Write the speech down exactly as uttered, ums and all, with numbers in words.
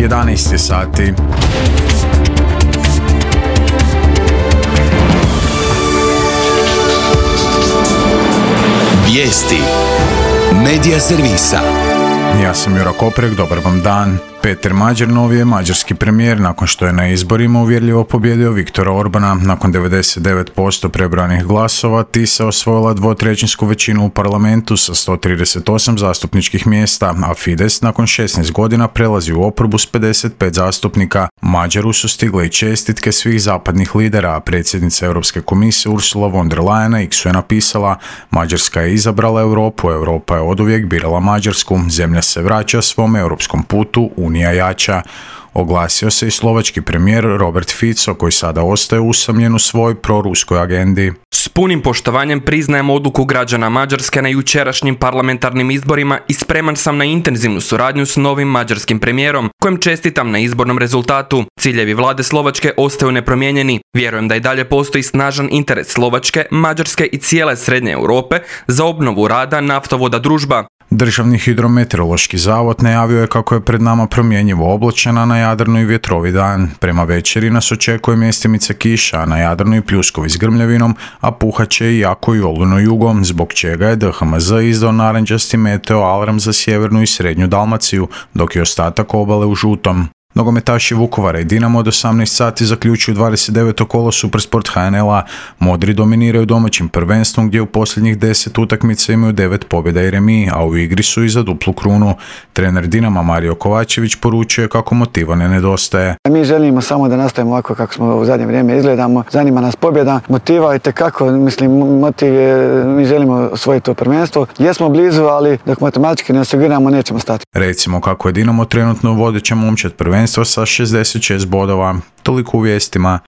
jedanaest sati. Vijesti Medija servisa. Ja sam Jura Koprek, dobar vam dan. Peter Mađer novi je mađarski premijer nakon što je na izborima uvjerljivo pobijedio Viktora Orbana. Nakon devedeset devet posto prebranih glasova Tisa osvojila dvotrećinsku većinu u parlamentu sa sto trideset osam zastupničkih mjesta, a Fides nakon šesnaest godina prelazi u oporbu s pedeset pet zastupnika. Mađaru su stigle i čestitke svih zapadnih lidera, a predsjednica Europske komisije Ursula von der Leyen na X-u je napisala: Mađarska je izabrala Europu, Europa je oduvijek birala Mađarsku, zemlja se vraća svom europskom putu, Unija jača. Oglasio se i slovački premijer Robert Fico, koji sada ostaje usamljen u svoj proruskoj agendi. S punim poštovanjem priznajem odluku građana Mađarske na jučerašnjim parlamentarnim izborima i spreman sam na intenzivnu suradnju s novim mađarskim premijerom, kojem čestitam na izbornom rezultatu. Ciljevi vlade Slovačke ostaju nepromijenjeni. Vjerujem da i dalje postoji snažan interes Slovačke, Mađarske i cijele Srednje Europe za obnovu rada naftovoda Družba. Državni hidrometeorološki zavod najavio je kako je pred nama promjenjivo oblačan, na Jadranu i vjetrovi dan. Prema večeri nas očekuje mjestimice kiša, a na Jadranu i pljuskovi s grmljavinom, a puhat će i jako i olujno jugom, zbog čega je D H M Z izdao narančasti meteo alarm za sjevernu i srednju Dalmaciju, dok je ostatak obale u žutom. Nogometaši Vukovara i Dinamo od osamnaest sati zaključuju dvadeset deveto kolo Supersport H N L-a. Modri dominiraju domaćim prvenstvom gdje u posljednjih deset utakmica imaju devet pobjeda i remi, a u igri su i za duplu krunu. Trener Dinama Mario Kovačević poručuje kako motiva ne nedostaje. Mi želimo samo da nastavimo ovako kako smo u zadnje vrijeme izgledamo. Zanima nas pobjeda, motiva i tekako, mislim, motiv je, mi želimo osvojiti to prvenstvo. Jesmo blizu, ali dok matematički ne osiguramo, nećemo stati. Recimo kako je Dinamo trenutno vodeća momčad prvenstva sa šezdeset šest bodova. Toliko u vijestima.